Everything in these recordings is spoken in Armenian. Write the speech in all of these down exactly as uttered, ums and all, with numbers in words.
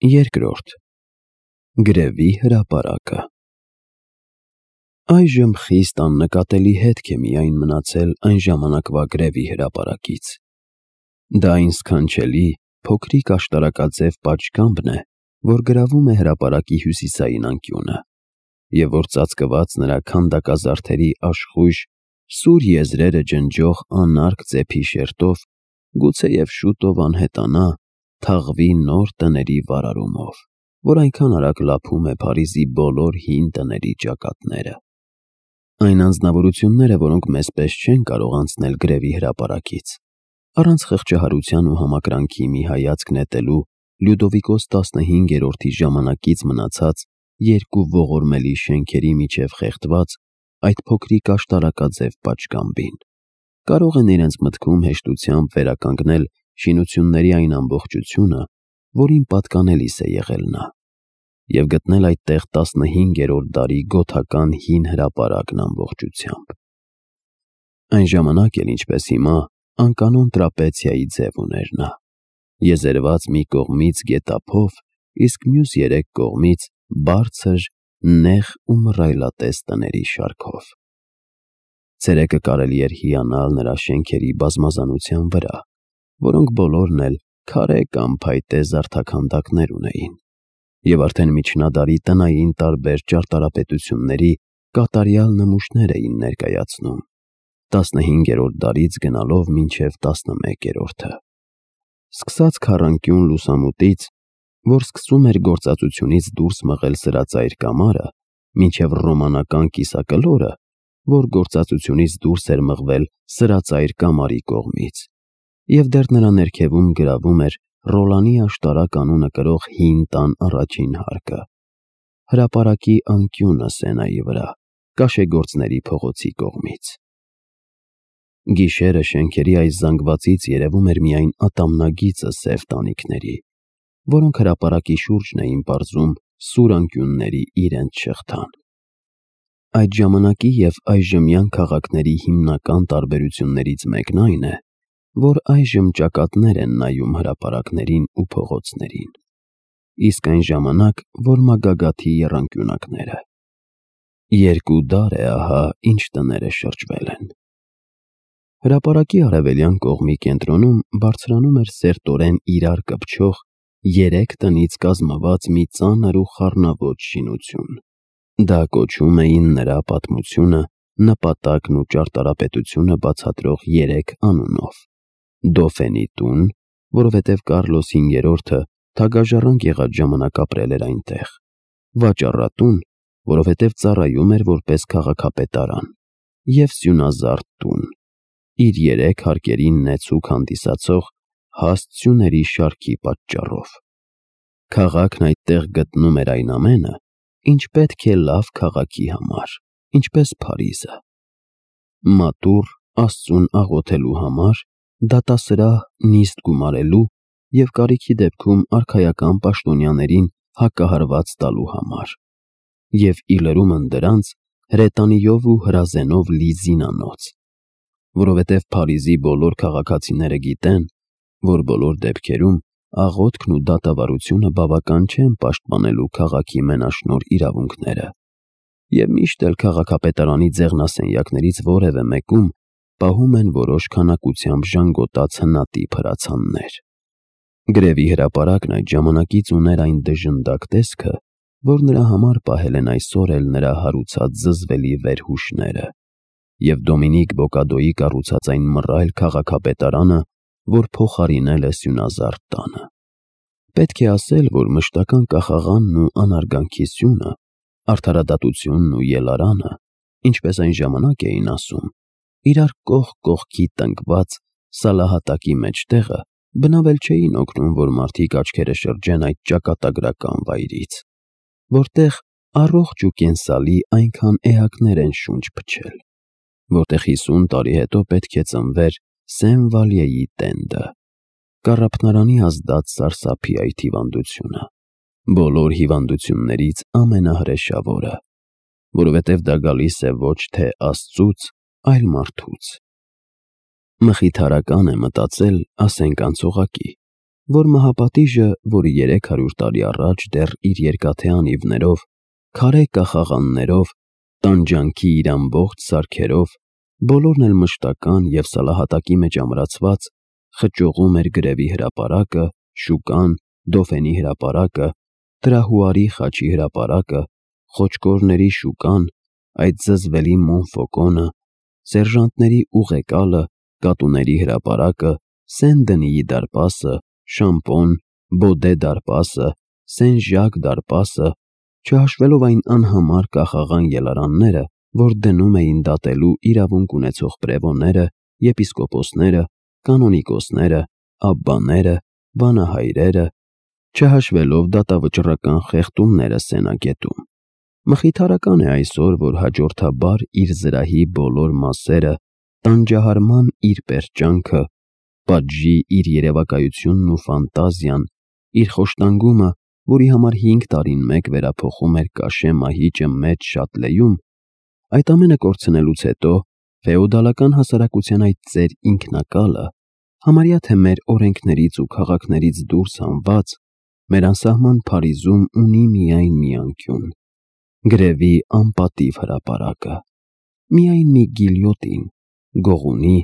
Երկրորդ Գրևի հրապարակը Այժմ խիստ աննկատելի հետք է միայն մնացել այն ժամանակվա գրևի հրապարակից։ Դա այն սքանչելի, փոքրիկ աշտարակաձև պատշգամբն է, որ գրավում է հրապարակի հյուսիսային անկյունը, և որ ծածկված նրա քանդակազարդերի աշխույժ, սուր եզրերը ջնջող անարգ ծեփի շերտով, գուցեև շուտով անհետանա, թաղվի նոր տների վարարումով, որ այնքան արագ լափում է Փարիզի բոլոր հին տների ճակատները։ Այն անձնավորությունները, որոնք մեզ պես չեն կարող անցնել գրևի հրապարակից, առանց խղճահարության ու համակրանքի մի հայացք նետելու Լյուդովիկոս տասնհինգերորդի ժամանակից մնացած երկու ողորմելի շենքերի միջև խեղդված այդ փոքրիկ աշտարակաձև պատշգամբին, կարող են իրենց մտքում հեշտությամբ վերականգնել շինությունների այն ամբողջությունը, որին պատկանելիս է եղել նա, և գտնել այդտեղ տասնհինգերորդ դարի գոթական հին հրապարակն ամբողջությամբ։ Այն ժամանակ էլ, ինչպես հիմա, անկանոն տրապեցիայի ձև ուներ նա, եզերված մի կողմից գետափով, իսկ մյուս երեք կողմից բարձր, նեղ ու մռայլատես տների շարքով։ Ցերեկը կարելի էր հիանալ նրա շենքերի բազմազանության վրա, որոնք բոլորն էլ քարե կամ փայտե զարդաքանդակներ ունեին, և արդեն միջնադարի տնային տարբեր ճարտարապետությունների կատարյալ նմուշներ էին ներկայացնում, տասնհինգերորդ դարից գնալով մինչև տասնմեկերորդը։ Սկսած քառանկյուն լուսամուտից, որ սկսում էր գործածությունից դուրս մղել սրածայր կամարը, մինչև ռոմանական կիսակլորը, որ գործածությունից դուրս էր մղվել սրածայր կամարի կողմից, և դեռ նրա ներքևում գրավում էր Ռոլանի աշտարակ անունը կրող հին տան առաջին հարկը, հրապարակի անկյունը Սենայի վրա, Կաշեգործների փողոցի կողմից։ Գիշերը շենքերի այս զանգվածից երևում էր միայն ատամնագիծը սև տանիքների, որոնք հրապարակի շուրջն էին պարզում սուր անկյունների իրենց շղթան։ Այդ ժամանակի և այժմյան քաղաքների հիմնական տարբերություններից մեկն այն է, որ այժմ ճակատներ են նայում հրապարակներին ու փողոցներին, իսկ այն ժամանակ, որ մագագաթի եռանկյունակները։ Երկու դար է ահա, ինչ տները շրջվել են։ Հրապարակի արևելյան կողմի կենտրոնում բարձրանում էր սերտորեն իրար կպչող երեք տնից կազմված մի ծանր ու խառնաոճ շինություն։ Դա կոչում էին նրա պատմությունը, նպատակն ու ճարտարապետությունը բացատրող երեք անունով. Դոֆենի տուն, որովհետև Կարլոս հինգերորդը թագաժառանգ եղած ժամանակ ապրել էր այնտեղ, վաճառատուն, որովհետև ծառայում էր որպես քաղաքապետարան, և սյունազարդ տուն, իր երեք հարկերին նեցուկ հանդիսացող հաստ սյուների շարքի պատճառով։ Քաղաքն այդտեղ գտնում էր այն ամենը, ինչ պետք է լավ քաղաքի համար, ինչպես Փարիզը. մատուռ Աստծուն աղոթելու համար, դատասրահ նիստ գումարելու և կարիքի դեպքում արքայական պաշտոնյաներին հակահարված տալու համար, և ի լրումն դրանց հրետանիով ու հրազենով լի զինանոց, որովհետև Փարիզի բոլոր քաղաքացիները գիտեն, որ բոլոր դեպքերում աղոթքն ու դատավարությունը բավական չեն պաշտպանելու քաղաքի մենաշնորհ իրավունքները, և միշտ էլ քաղաքապետարանի ձեղնասենյակներից որևէ մեկում պահում են որոշ քանակությամբ ժանգոտած հնատիպ հրացաններ։ Գրևի հրապարակն այդ ժամանակից ուներ այն դժնդակ տեսքը, որ նրա համար պահել են այսօր էլ նրա հարուցած զզվելի վերհուշները, և Դոմինիկ Բոկադոյի կառուցած այն մռայլ քաղաքապետարանը, որ փոխարինել է սյունազարդ տանը։ Պետք է ասել, որ մշտական կախաղանն ու անարգանքի սյունը, արդարադատությունն ու ելարանը, ինչպես այն ժամանակ էին ասում, իրար կողք կողքի տնկված սալահատակի մեջտեղը բնավել չէին օգնում, որ մարդիկ աչքերը շրջեն այդ ճակատագրական վայրից, որտեղ առողջ ու կենսալի այնքան էակներ են շունչ փչել, որտեղ հիսուն տարի հետո պետք է ծնվեր Սեն-Վալյեի տենդը, կառափնարանի ազդած սարսափի այդ հիվանդությունը, բոլոր հիվանդություններից ամենահրեշավորը, որովհետև դա գալիս է ոչ թե Աստծուց, այլ մարդուց։ Մխիթարական է մտածել, ասենք անցողակի, որ մահապատիժը, որը երեք հարյուր տարի առաջ դեռ իր երկաթե անիվներով, քարե կախաղաններով, տանջանքի իր ամբողջ սարքերով, բոլորն էլ մշտական և սալահատակի մեջ ամրացված, խճողում էր գրևի հրապարակը, շուկան, դոֆենի հրապարակը, տրահուարի խաչի հրապարակը, խոճկորների շուկան, այդ զզվելի Մոնֆոկոնը, սերժանտների ուղեկալը, կատուների հրապարակը, Սեն-Դենիի դարպասը, Շամպոն, Բոդե դարպասը, Սեն-Ժակ դարպասը, չհաշվելով այն անհամար կախաղան ելարանները, որ դնում էին դատելու իրավունք ունեցող պրևոները, եպիսկոպոսները, կանոնիկոսները, աբբաները, վանահայրերը, չհաշվելով դատավճռական խեղդումները Սենագետում։ Մխիթարական է այսօր, որ հաջորդաբար իր զրահի բոլոր մասերը, տանջահարման իր պերճանքը, պատժի իր երևակայությունն ու ֆանտազիան, իր խոշտանգումը, որի համար հինգ տարին մեկ վերափոխում էր կաշե մահիճը մեծ Շատլեում, այդ ամենը կորցնելուց հետո ֆեոդալական հասարակության այդ ծեր ինքնակալը, համարյա թե մեր օրենքներից ու քաղաքներից դուրս հանված, մեր անսահման Փարիզում ունի միայն մի անկյուն՝ գրևի անպատիվ հրապարակը, միայն մի գիլյոտին, գողունի,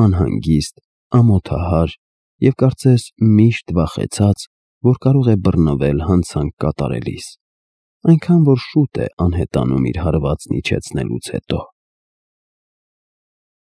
անհանգիստ, ամոթահար և կարծես միշտ վախեցած, որ կարող է բռնվել հանցանք կատարելիս, այնքան որ շուտ է անհետանում իր հարվածն իջեցնելուց հետո։